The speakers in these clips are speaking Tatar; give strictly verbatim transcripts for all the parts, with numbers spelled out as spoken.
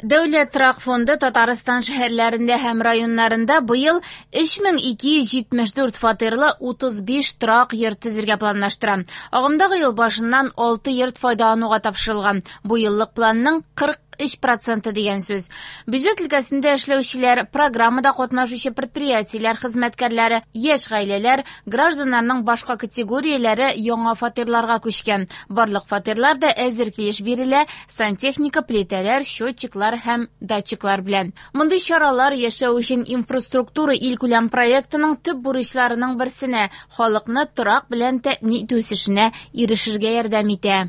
Дәүләт торак фонды Татарстан шәһәрләрендә һәм районнарында быел өч мең ике йөз җитмеш дүрт фатирлы утыз биш торак йорт төзергә планлаштыра. Агымдагы ел башыннан алты йорт файдалануга тапшырылган. Бу еллык планның кырык өч проценты дигән сүз. Бюджет өлкәсендә эшләүчеләр, программада катнашучы предприятиеләр хезмәткәрләре, яшь гаиләләр, гражданнарның башка категорияләре яңа фатирларга күчкән. Барлык фатирлар да әзер килеш бирелә, сантехника, плитәләр, счетчиклар һәм датчиклар белән. Мондый чаралар яшәү өчен инфраструктура илкүләм проектының төп бурычларының берсенә, халыкны торак белән тәэмин итү үсешенә ирешергә ярдәм итә.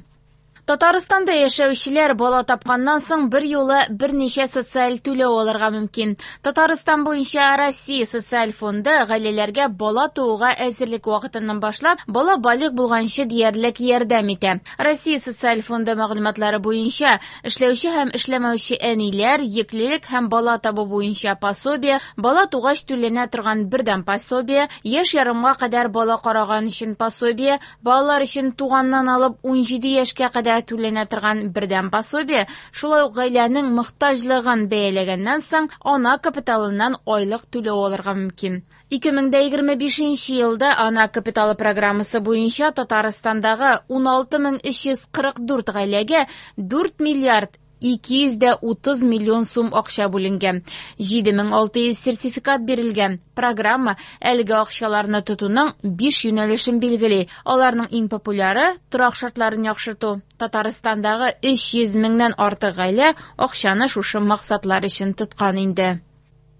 Татарстанда яшәүчеләр бала тапканнан соң бер юлы берничә социаль түләү алырга мөмкин. Татарстан буенча Россия социаль фонды гаиләләргә бала тууга әзерлек вакытыннан башлап бала балигъ булганчы диярлек ярдәм итә. Россия социаль фонды мәгълүматлары буенча эшләүче һәм эшләмәүче әниләр йөклелек һәм бала табу буенча пособие, бала тугач түләнә торган бердәм пособие, яшь ярымга кадәр бала караган өчен пособие, балалар өчен туганнан алып ун җиде яшькә кадәр түләнә торган бердәм пособие, шулай ук гаиләнең мохтаҗлыгын бәяләгәннән соң ана капиталыннан айлык түләү алырга мөмкин. Ике мең дә егерме бишенче елда ана капиталы программасы буенча Татарстандагы ун алты мең өч йөз кырык дүрт гаиләгә дүрт миллиард ике йөз дә утыз миллион сум акча бүленгән. Җиде мең алты йөз сертификат бирелгән. Программа әлеге акчаларны тотуның биш юнәлешен билгели. Аларның иң популяры торак шартларын яхшырту. Татарстандагы өч йөз меңнән артык гаилә акчаны шушы максатлар өчен тоткан инде.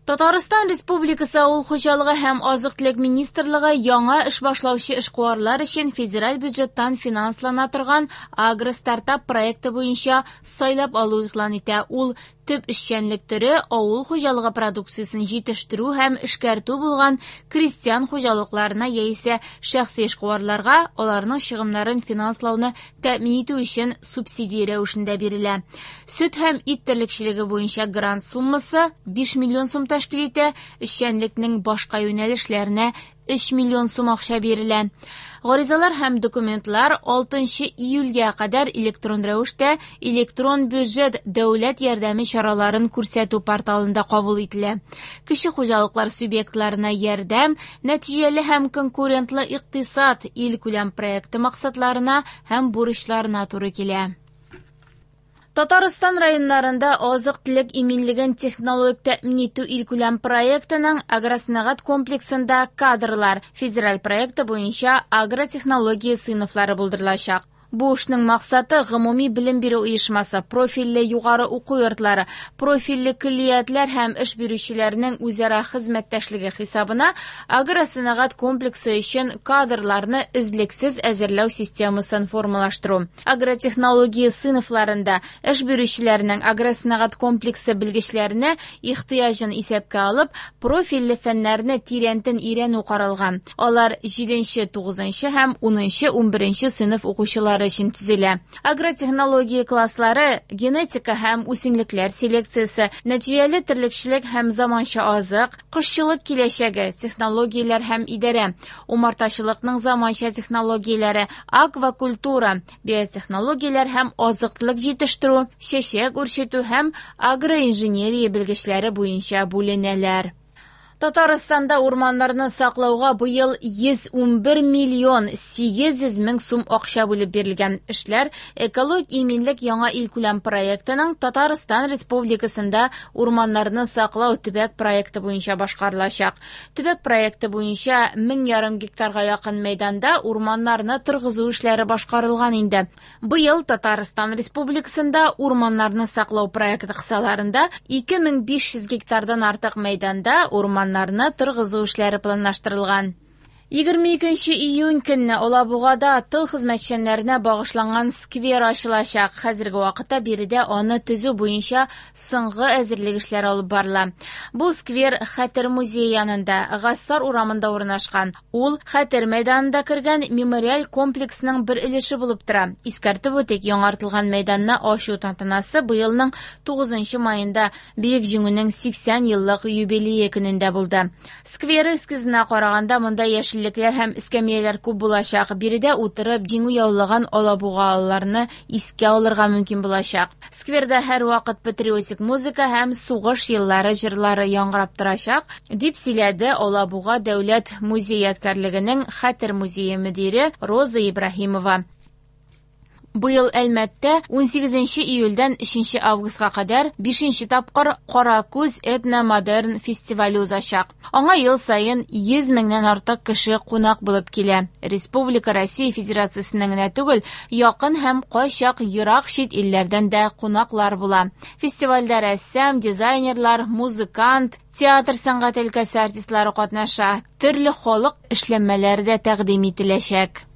Татарстан Республикасы Авыл хуҗалыгы һәм азык-төлек министрлыгы яңа эш башлаучы эшкуарлар өчен федераль бюджеттан финанслана торган агростартап проекты буенча сайлап алу игълан итә. Ул төп эшчәнлек төре авыл хуҗалыгы продукциясен җитештерү һәм эшкәртү булган крестьян хуҗалыкларына яисә шәхси эшкуарларга аларның чыгымнарын финанслауны тәэмин итү өчен субсидия рәвешендә бирелә. Сөт һәм ит терлекчелеге буенча грант суммасы биш миллион сум тәшкил итә, эшчәнлекнең башка юнәлешләренә өч миллион сум акча бирелә. Гаризалар һәм документлар алтынчы июльгә кадәр электрон рәвештә электрон бюджет дәүләт ярдәме чараларын күрсәтү порталында кабул ителә. Кече хуҗалыклар субъектларына ярдәм, нәтиҗәле һәм конкурентлы икътисад илкүләм проекты максатларына һәм бурычларына туры килә. Татарстан районнарында азык-төлек иминлеген технологик тәэмин итү илкүләм проектының агросәнәгать комплексында кадрлар федераль проекты буенча агротехнология сыйныфлары булдырылачак. Бу эшнең максаты гомуми белем бирү оешмасы, профильле югары уку йортлары, профильле көллиятләр һәм эш бирүчеләрнең үзара хезмәттәшлеге хисабына агросәнәгать комплексы өчен кадрларны эзлексез әзерләү системасын формалаштыру. Агротехнология сыйныфларында эш бирүчеләрнең агросәнәгать комплексы белгечләренә ихтыяҗын исәпкә алып, профильле фәннәрне тирәнтен өйрәнү каралган. Алар җиденче, тугызынчы һәм унынчы, унберенче сыйныф укучылары өчен төзелә. Агротехнология класслары генетика һәм үсемлекләр селекциясе, нәтиҗәле терлекчелек һәм заманча азык, кошчылык киләчәге, технологияләр һәм идарә, умартачылыкның заманча технологияләре, аквакультура, биотехнологияләр һәм азык-төлек җитештерү, чәчәк үрчетү һәм агроинженерия белгечләре буенча бүленәләр. Татарстанда урманнарны саклауга быел йөз унбер миллион сигез йөз мең сум акча бүлеп бирелгән. Эшләр Экологик иминлек яңа илкүләм проектының Татарстан Республикасында урманнарны саклау төбәк проекты буенча башкарылачак. Төбәк проекты буенча мең ярым гектарга якын мәйданда урманнарны торгызу эшләре башкарылган инде. Быел Татарстан Республикасында урманнарны саклау проекты кысаларында ике мең биш йөз гектардан артык мәйданда урман урманнарны торгызу эшләре планлаштырылган. Егерме икенче июнь көнне Алабугада тыл хезмәтчәннәренә багышланган сквер ачылачак. Хәзерге вакытта биредә аны төзү буенча соңгы әзерлек эшләре алып барыла. Бу сквер Хәтер музее янында, Гассар урамында урнашкан. Ул Хәтер мәйданында кергән мемориаль комплексның бер өлеше булып тора. Искәртеп үтик, яңартылган мәйданны ачу тантанасы быелның тугызынчы маенда Бөек Җиңүнең сиксән еллык юбилее көнендә булды. Сквер эскизына караганда монда яшел яшеллекләр һәм эскәмияләр күп булачак. Биредә утырып, җиңү яулаган алабугалыларны искә алырга мөмкин булачак. Скверда һәрвакыт патриотик музыка һәм сугыш еллары җырлары яңгырап торачак, дип сөйләде Алабуга дәүләт музей-ядкәрлегенең Хәтер музее мөдире Роза Ибраһимова. Быел Әлмәттә унсигезенче июльдән өченче августка кадәр бишенче тапкыр Каракүз этно-модерн фестивале узачак. Аңа ел саен йөз меңнән артык кеше кунак булып килә. Республика Россия Федерациясеннән генә түгел, якын һәм кайчак ерак чит илләрдән дә кунаклар була. Фестивальдә рәссам, дизайнерлар, музыкант, театр сәнгате өлкәсе артистлары катнаша. Төрле халык эшләнмәләре дә тәкъдим ителәчәк.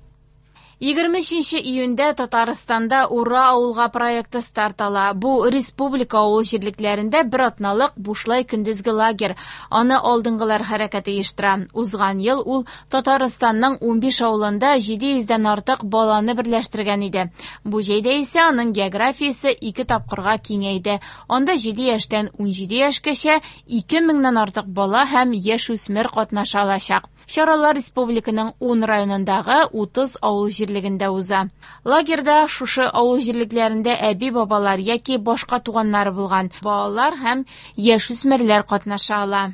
Егерме өченче июньдә Татарстанда Ура авылга проекты старт ала. Бу республика авыл җирлекләрендә бер атналык бушлай көндезге лагерь. Аны алдынгылар хәрәкәте оештыра. Узган ел ул Татарстанның унбиш авылында җиде йөздән артык баланы берләштергән иде. Бу җәйдә исә аның географиясе ике тапкырга киңәйде. Анда җиде яшьтән унҗиде яшькәчә ике меңнән артык бала һәм яшүсмер катнаша алачак. Чаралар республиканың ун районындагы утыз авыл җирлегендә уза. Лагерьда шушы авыл җирлекләрендә әби-бабалар яки башка туганнары булган балалар һәм яшүсмерләр катнаша ала.